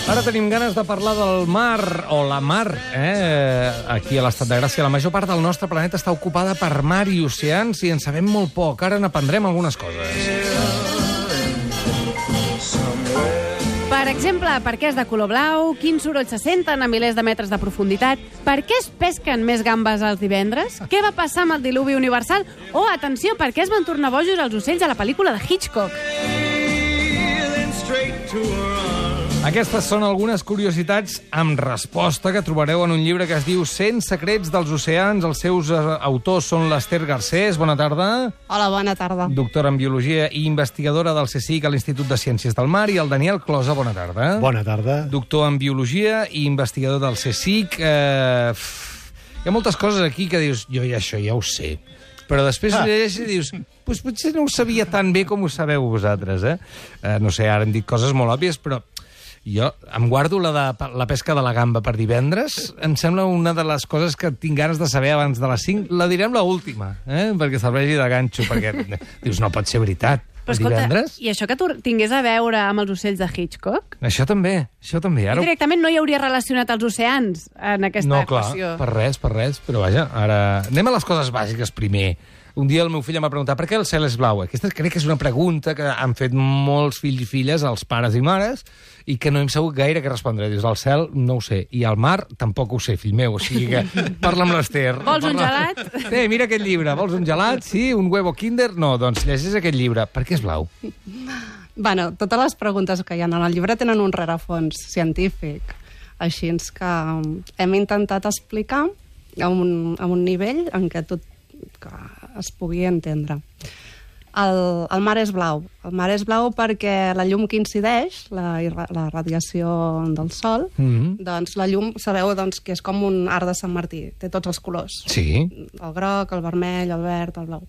Ara tenim ganes de parlar del mar, o la mar, aquí a l'Estat de Gràcia. La major part del nostre planeta està ocupada per mar i oceans i en sabem molt poc. Ara n'aprendrem algunes coses. Per exemple, per què és de color blau, quins sorolls se senten a milers de metres de profunditat, per què es pesquen més gambes els divendres, què va passar amb el diluvi universal, o, atenció, per què es van tornar bojos els ocells a la pel·lícula de Hitchcock. Aquestes són algunes curiositats amb resposta que trobareu en un llibre que es diu 100 secrets dels oceans. Els seus autors són l'Ester Garcés. Bona tarda. Hola, bona tarda. Doctora en Biologia i investigadora del CSIC a l'Institut de Ciències del Mar. I el Daniel Closa. Bona tarda. Bona tarda. Doctor en Biologia i investigador del CSIC. Hi ha moltes coses aquí que dius, jo això ja ho sé. Però després llegeixes i dius, pues potser no ho sabia tan bé com ho sabeu vosaltres, no sé, ara hem dit coses molt òbvies, però jo em guardo la pesca de la gamba per divendres. Em sembla una de les coses que tinc ganes de saber abans de les 5. La direm l'última, perquè serveixi de ganxo, perquè dius, no pot ser veritat. Però escolta, i això que tu tingués a veure amb els ocells de Hitchcock? Això també. Ara... Directament no hi hauria relacionat els oceans en aquesta equació. No, clar, per res, però vaja, ara... Anem a les coses bàsiques primer. Un dia el meu fill em va preguntar per què el cel és blau. Aquesta crec que és una pregunta que han fet molts fills i filles, els pares i mares, i que no hem sabut gaire què respondre. Dius, el cel no ho sé, i el mar tampoc ho sé, fill meu, o sigui que parla amb l'Ester. Vols un gelat? Mira aquest llibre, vols un gelat? Sí, un huevo Kinder? No, doncs llegeix aquest llibre. Per què és blau? Bueno, totes les preguntes que hi ha en el llibre tenen un rerefons científic, així que hem intentat explicar a un nivell en què tot que es pugui entendre. El mar és blau. El mar és blau perquè la llum que incideix, la radiació del sol, doncs la llum, sabeu que és com un arc de Sant Martí, té tots els colors. Sí. El groc, el vermell, el verd, el blau.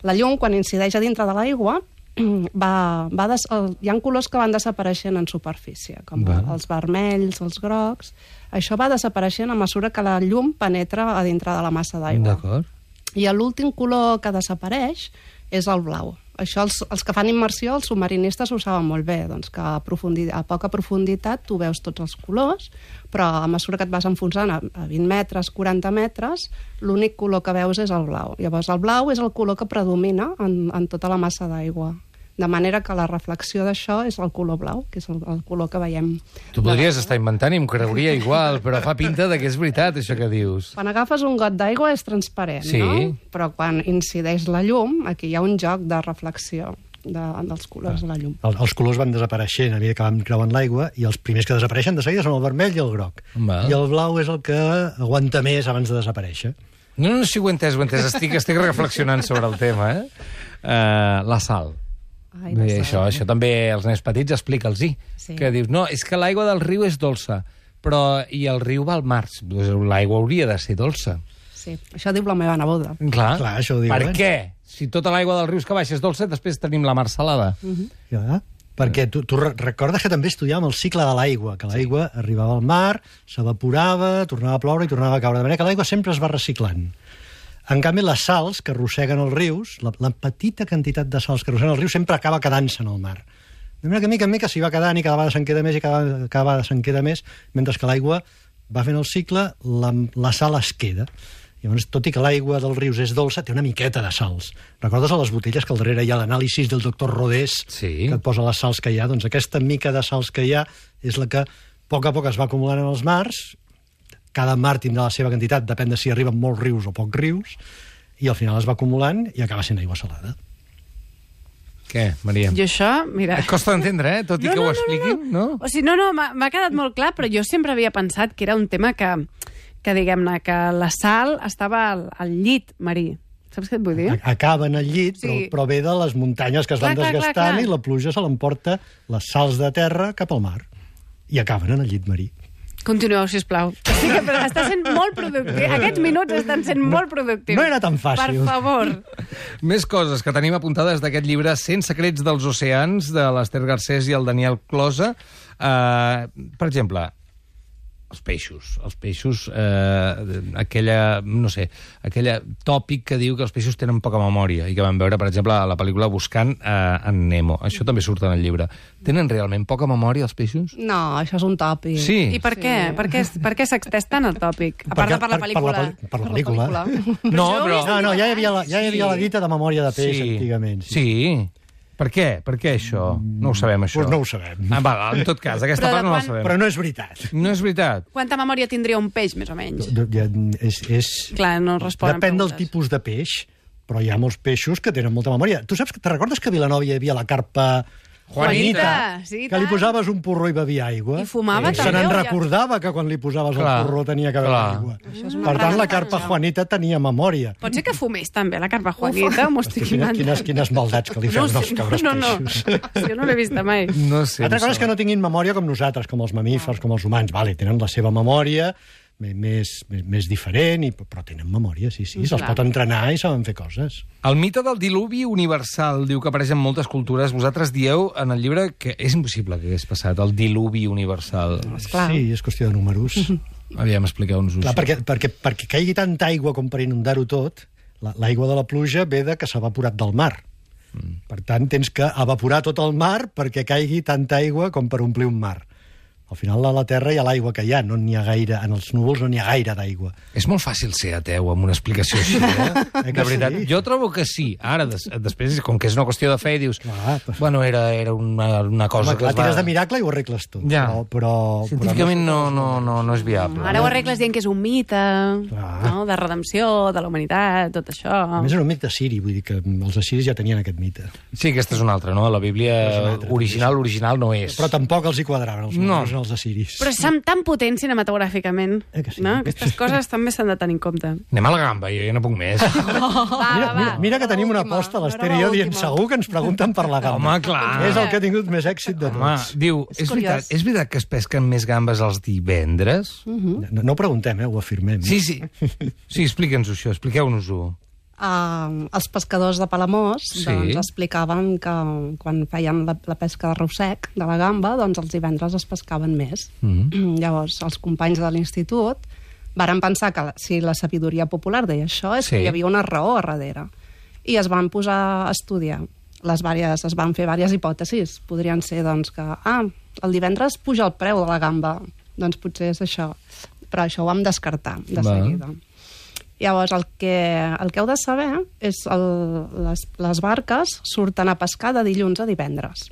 La llum, quan incideix a dintre de l'aigua, hi ha colors que van desapareixent en superfície, com els vermells, els grocs. Això va desapareixent a mesura que la llum penetra a dintre de la massa d'aigua. D'acord. I l'últim color que desapareix és el blau. Això els que fan immersió, els submarinistes ho saben molt bé, doncs que a poca profunditat tu veus tots els colors, però a mesura que et vas enfonsant a 20 metres, 40 metres, l'únic color que veus és el blau. Llavors el blau és el color que predomina en tota la massa d'aigua. De manera que la reflexió d'això és el color blau, que és el color que veiem. Tu podries estar inventant i em creuria igual, però fa pinta que és veritat, això que dius. Quan agafes un got d'aigua és transparent, no? Però quan incideix la llum, aquí hi ha un joc de reflexió dels colors de la llum. Els colors van desapareixent a mesura que van creuant l'aigua i els primers que desapareixen de seguida són el vermell i el groc. I el blau és el que aguanta més abans de desaparèixer. No, si ho he entès. Estic reflexionant sobre el tema, La sal. Això també els nens petits explica'ls-hi. Que dius, no, és que l'aigua del riu és dolça, però i el riu va al mar. L'aigua hauria de ser dolça. Sí, això diu la meva neboda. Clar, això ho diu. Per què? Si tota l'aigua del riu que baixa és dolça, després tenim la mar salada. Perquè tu recordes que també estudiàvem el cicle de l'aigua, que l'aigua arribava al mar, s'evaporava, tornava a ploure i tornava a caure. De manera que l'aigua sempre es va reciclant. En canvi, les sals que arrosseguen els rius, la petita quantitat de sals que arrosseguen els rius sempre acaba quedant-se en el mar. De manera que mica en mica s'hi va quedant i cada vegada se'n queda més i cada vegada se'n queda més, mentre que l'aigua va fent el cicle, la sal es queda. Llavors, tot i que l'aigua dels rius és dolça, té una miqueta de sals. Recordes a les botelles que al darrere hi ha l'anàlisi del doctor Rodés, que et posa les sals que hi ha? Doncs aquesta mica de sals que hi ha és la que a poc es va acumulant en els mars. Cada mar tindrà la seva quantitat, depèn de si arriben molts rius o pocs rius, i al final es va acumulant i acaba sent aigua salada. Què, Maria? Jo això, mira... Et costa d'entendre, tot i que ho expliquin, no? O sigui, m'ha quedat molt clar, però jo sempre havia pensat que era un tema que diguem-ne, que la sal estava al llit marí. Saps què et vull dir? Acaba en el llit, però ve de les muntanyes que es van desgastant i la pluja se l'emporta les sals de terra cap al mar. I acaben en el llit marí. Continueu, sisplau. Sí que està sent molt productiu. Aquests minuts estan sent molt productius. No era tan fàcil. Per favor. Més coses que tenim apuntades d'aquest llibre 100 secrets dels oceans, de l'Ester Garcés i el Daniel Closa. Per exemple, Els peixos, aquella tòpic que diu que els peixos tenen poca memòria i que vam veure, per exemple, a la pel·lícula Buscant en Nemo. Això també surt en el llibre. Tenen realment poca memòria, els peixos? No, això és un tòpic. Sí. I per què? Per què s'extès tant el tòpic? A part de per la pel·lícula. Per la pel·lícula. No, ja hi havia la dita de memòria de peix antigament. Sí. Per què? Per què això? No ho sabem, això. Doncs no ho sabem. En tot cas, aquesta part no la sabem. Però no és veritat. No és veritat. Quanta memòria tindria un peix, més o menys? Clar, no responen depèn del preguntes. tipus de peix, però hi ha molts peixos que tenen molta memòria. Tu saps, te recordes que a Vilanova hi havia la carpa Juanita, sí, que li posaves un porró i bevia aigua? I fumava Se també, n'en o ja? recordava que quan li posaves el porró tenia que beure aigua. Per tant, la carpa Juanita tenia memòria. Pot ser que fumés també, la carpa Juanita, m'ho estic imaginant. Quines maldats que li fem dels cabres peixos. Jo no l'he vista mai. No sé. Altra cosa és que no tinguin memòria com nosaltres, com els mamífers, com els humans. Vale, tenen la seva memòria més diferent, però tenen memòria, sí, se'ls pot entrenar i saben fer coses. El mite del diluvi universal diu que apareix en moltes cultures. Vosaltres dieu en el llibre que és impossible que hagués passat el diluvi universal. Sí, és qüestió de números. Aviam, expliqueu-nos-ho. Perquè caigui tanta aigua com per inundar-ho tot, l'aigua de la pluja ve de que s'ha evaporat del mar. Per tant, tens que evaporar tot el mar perquè caigui tanta aigua com per omplir un mar. Al final a la Terra hi ha l'aigua que hi ha, no n'hi ha gaire, en els núvols no n'hi ha gaire d'aigua. És molt fàcil ser ateu amb una explicació així, eh? De veritat. Sí? Jo trobo que sí. Ara, després, com que és una qüestió de fe, dius... Bueno, era una cosa que la tires de miracle i ho arregles tot. Ja. Però científicament no és viable. Ara ho arregles dient que és un mite, no? De redempció, de la humanitat, tot això. A més, era un mite assiri, vull dir que els assiris ja tenien aquest mite. Sí, aquesta és una altra, no? La Bíblia original no és. Però tampoc els hi quadraven els números els assiris. Però som tan potents cinematogràficament, sí? No? Aquestes coses també s'han de tenir en compte. Anem a la gamba, jo ja no puc més. Mira que tenim una aposta a l'Ester i jo dient segur que ens pregunten per la gamba. Home, clar. És el que ha tingut més èxit de tots. Diu, és veritat que es pesquen més gambes els divendres? No ho preguntem, ho afirmem. Sí, explica'ns-ho això, expliqueu-nos-ho. Els pescadors de Palamós doncs, explicaven que quan feien la pesca de rossec, de la gamba, doncs els divendres es pescaven més. Llavors, els companys de l'institut varen pensar que si la sabidoria popular deia això és que hi havia una raó a darrere. I es van posar a estudiar. Es van fer diverses hipòtesis. Podrien ser doncs, que el divendres puja el preu de la gamba. Doncs potser és això. Però això ho vam descartar de seguida. Llavors, el que heu de saber és les barques surten a pescar de dilluns a divendres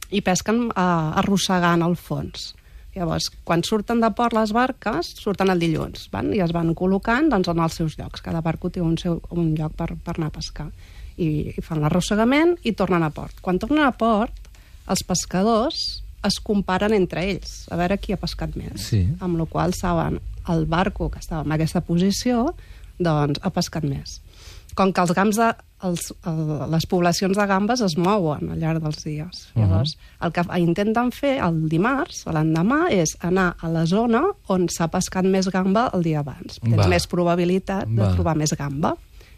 i pesquen arrossegant el fons. Llavors, quan surten de port les barques, surten el dilluns i es van col·locant doncs, en els seus llocs. Cada barco té un lloc per anar a pescar. I fan l'arrossegament i tornen a port. Quan tornen a port, els pescadors es comparen entre ells, a veure qui ha pescat més. Amb la qual cosa saben el barco que estava en aquesta posició doncs ha pescat més. Com que les poblacions de gambes es mouen al llarg dels dies. Llavors, el que intenten fer el dimarts, l'endemà, és anar a la zona on s'ha pescat més gamba el dia abans. Tens més probabilitat de trobar més gamba.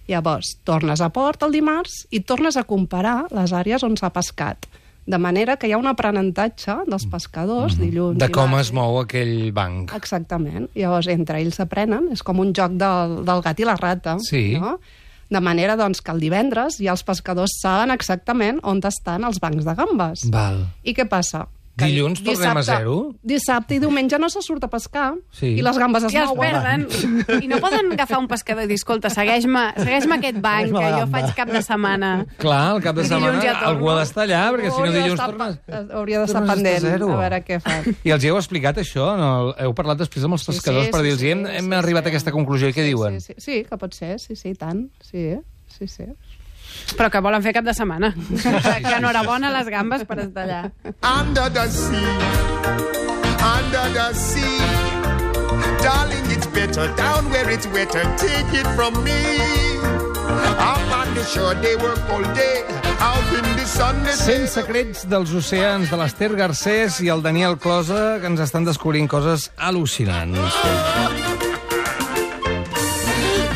Llavors, tornes a port el dimarts i tornes a comparar les àrees on s'ha pescat. De manera que hi ha un aprenentatge dels pescadors dilluns. De com es mou aquell banc. Exactament. Llavors, entre ells aprenen. És com un joc del gat i la rata. Sí. No? De manera doncs, que el divendres ja els pescadors saben exactament on estan els bancs de gambes. Val. I què passa? Dilluns tornem a zero? Dissabte i diumenge no se surt a pescar i les gambes es mouen. perden. I no poden agafar un pescador i dir, escolta, segueix-me aquest banc, que jo faig cap de setmana. Clar, el cap de I dilluns setmana ja torno. algú ha d'estar allà, perquè si no dilluns tornes... Hauria d'estar pendent, a veure què fa. I els heu explicat això? Heu parlat després amb els pescadors per dir-los hem arribat a aquesta conclusió i què diuen? Sí, que pot ser, sí, tant. Sí. Però que volen fer cap de setmana. Que enhorabona les gambes per estar allà. Under the sea, darling, it's better down where it's wetter. Take it from me. Up on the shore, they work all day. Out in the sun, they 100 secrets dels oceans de l'Ester Garcés i el Daniel Closa, que ens estan descobrint coses al·lucinants.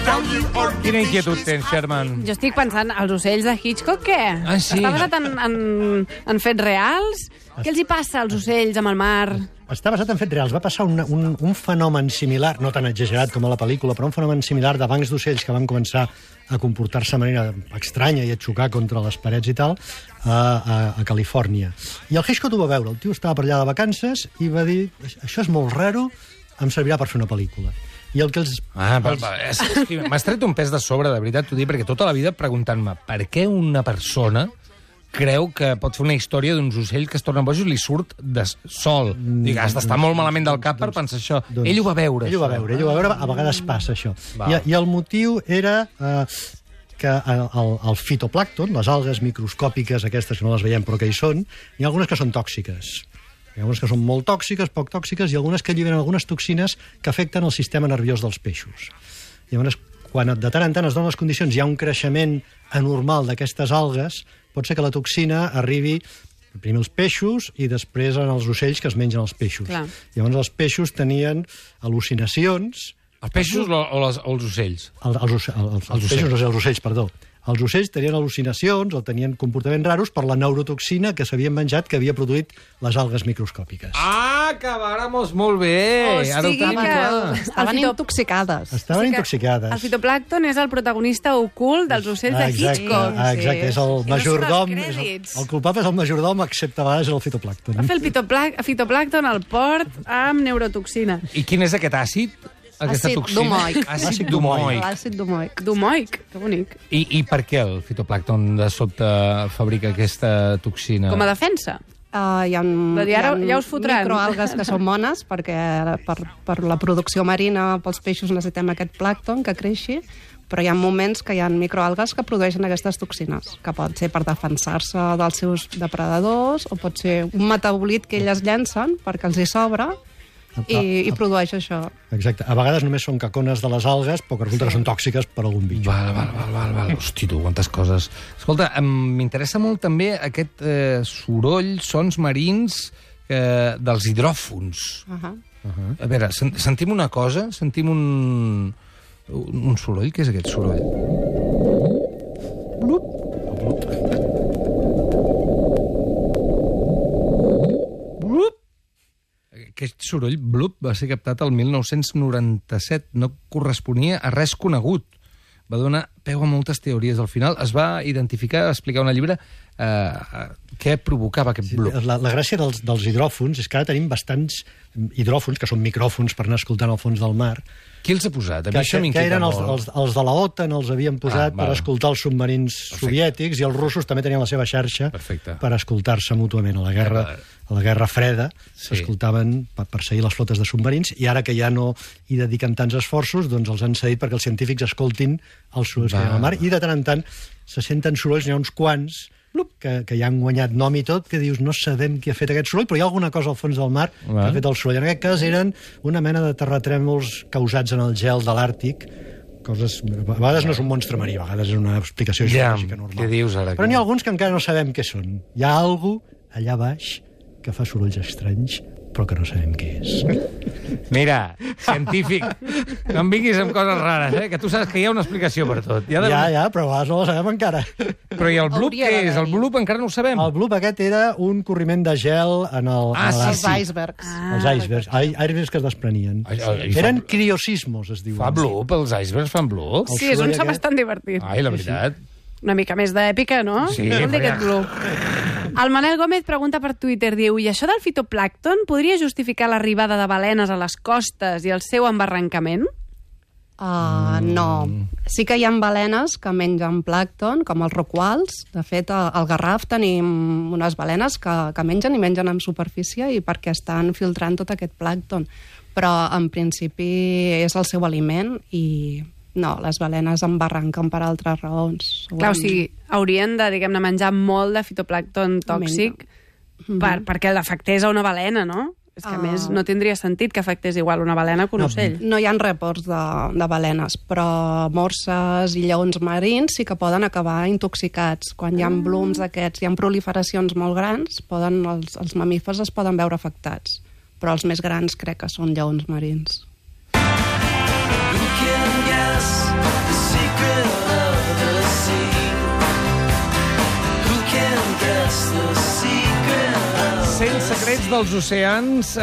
down you are Quina inquietud tens, Sherman? Jo estic pensant, els ocells de Hitchcock, què? Ah, sí. Està basat en fets reals? Què els hi passa als ocells amb el mar? Està basat en fets reals. Va passar un fenomen similar, no tan exagerat com a la pel·lícula, però un fenomen similar de bancs d'ocells que van començar a comportar-se de manera estranya i a xocar contra les parets i tal, a Califòrnia. I el Hitchcock ho va veure. El tio estava per allà de vacances i va dir, això és molt raro, em servirà per fer una pel·lícula. I el que els... M'has tret un pes de sobre, de veritat, t'ho dic, perquè tota la vida preguntant-me per què una persona creu que pot fer una història d'uns ocells que es tornen bojos i li surt de sol. Dic, has d'estar molt malament del cap per pensar això. Ell ho va veure. Ell ho va veure, a vegades passa això. I el motiu era que el fitoplàncton, les algues microscòpiques aquestes que no les veiem però que hi són, hi ha algunes que són tòxiques. Hi ha algunes que són molt tòxiques, poc tòxiques, i algunes que alliberen algunes toxines que afecten el sistema nerviós dels peixos. Llavors, quan de tant en tant es donen les condicions, hi ha un creixement anormal d'aquestes algues, pot ser que la toxina arribi primer als peixos i després als ocells que es mengen els peixos. Clar. Llavors els peixos tenien al·lucinacions... Els peixos o els ocells? Els peixos, no sé, els ocells, perdó. Els ocells tenien al·lucinacions o tenien comportaments raros per la neurotoxina que s'havien menjat que havia produït les algues microscòpiques. Ah, que vàramos molt bé! Ara ho tenim clar. Estaven intoxicades. Estaven intoxicades. El fitoplàncton és el protagonista ocult dels ocells de Hitchcock. Exacte, és el majordom. I no surt als crèdits. El culpable és el majordom, excepte a vegades el fitoplàncton. Va fer el fitoplàncton al port amb neurotoxina. I quin és aquest àcid? Aquesta Àcid toxina? domoic. Àcid domoic. L'àcid domoic. Domoic, que bonic. I per què el fitoplàncton de sobte fabrica aquesta toxina? Com a defensa. Hi ha ja us fotran. microalgues que són bones perquè per la producció marina pels peixos necessitem aquest plàncton que creixi, però hi ha moments que hi ha microalgues que produeixen aquestes toxines, que pot ser per defensar-se dels seus depredadors o pot ser un metabolit que elles llencen perquè els hi sobra i produeix això. Exacte. A vegades només són cacones de les algues, però que resulta que són tòxiques per algun bitxo. Val. Hosti, tu, quantes coses. Escolta, m'interessa molt també aquest soroll, sons marins dels hidròfons. A veure, sentim una cosa, sentim un soroll. Què és aquest soroll? Blup. Aquest soroll, blup, va ser captat el 1997. No corresponia a res conegut. Va donar peu a moltes teories. Al final es va identificar, explicar una llibre, què provocava aquest blup. La gràcia dels hidròfons és que ara tenim bastants hidròfons, que són micròfons per anar escoltant al fons del mar. Qui els ha posat? Que eren els de la OTAN, els havien posat per escoltar els submarins soviètics, i els russos també tenien la seva xarxa per escoltar-se mútuament. A la Guerra Freda s'escoltaven per seguir les flotes de submarins, i ara que ja no hi dediquen tants esforços, doncs els han cedit perquè els científics escoltin els sorolls que hi ha al mar, i de tant en tant se senten sorolls, n'hi ha uns quants que ja han guanyat nom i tot, que dius, no sabem qui ha fet aquest soroll, però hi ha alguna cosa al fons del mar que ha fet el soroll. En aquest cas eren una mena de terratrèmols causats en el gel de l'Àrtic, coses... A vegades no és un monstre marí, a vegades és una explicació geològica normal. Què dius ara? Però n'hi ha alguns que encara no sabem què són. Hi ha algú allà baix que fa sorolls estranys, però que no sabem què és. Mira, científic, no em vinguis amb coses rares, que tu saps que hi ha una explicació per tot. Ja, però a vegades no la sabem encara. Però i el blup què és? El blup encara no ho sabem. El blup aquest era un corriment de gel en els icebergs. Els icebergs. Icebergs que es desprenien. Eren criosismos, es diuen. Fa blup? Els icebergs fan blup? Sí, és un so bastant divertit. Ai, la veritat. Una mica més d'èpica, no? Sí. Aquest blup. El Manel Gómez pregunta per Twitter, diu, i això del fitoplàncton podria justificar l'arribada de balenes a les costes i el seu embarrancament? No. Sí que hi ha balenes que mengen plàncton, com els rorquals. De fet, al Garraf tenim unes balenes que mengen en superfície i perquè estan filtrant tot aquest plàncton. Però, en principi, és el seu aliment i... No, les balenes embarranquen per altres raons. Clar, o sigui, haurien de, diguem-ne, menjar molt de fitoplàncton tòxic perquè l'afectés a una balena, no? És que, a més, no tindria sentit que afectés igual una balena que un ocell. No hi ha reports de balenes, però morses i lleons marins sí que poden acabar intoxicats. Quan hi ha blooms d'aquests, hi ha proliferacions molt grans, els mamífers es poden veure afectats. Però els més grans crec que són lleons marins. Who can guess the secret? secret of the sea. Who can guess the secret of 100 secrets dels oceans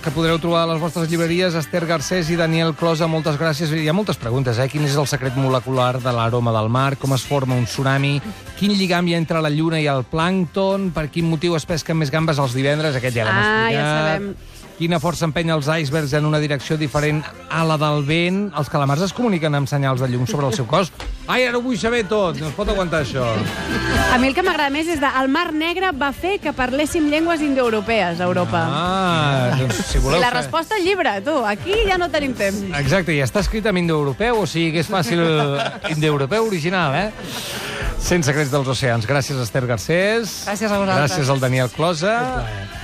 que podreu trobar a les vostres llibreries. Esther Garcés i Daniel Closa, moltes gràcies. Hi ha moltes preguntes, Quin és el secret molecular de l'aroma del mar? Com es forma un tsunami? Quin lligam hi ha entre la lluna i el plàncton? Per quin motiu es pesquen més gambes els divendres? Aquest ja l'hem explicat. Ja sabem. Quina força empenya els icebergs en una direcció diferent a la del vent? Els calamars es comuniquen amb senyals de llum sobre el seu cos? Ai, ara ho vull saber tot. No es pot aguantar això. A mi el que m'agrada més és el Mar Negre va fer que parléssim llengües indoeuropees a Europa. Doncs si voleu... I la resposta al llibre, tu. Aquí ja no tenim temps. Exacte, i està escrit en indoeuropeu, o sigui que és fàcil indoeuropeu original, 100 secrets dels oceans. Gràcies, Esther Garcés. Gràcies a vosaltres. Gràcies al Daniel Closa.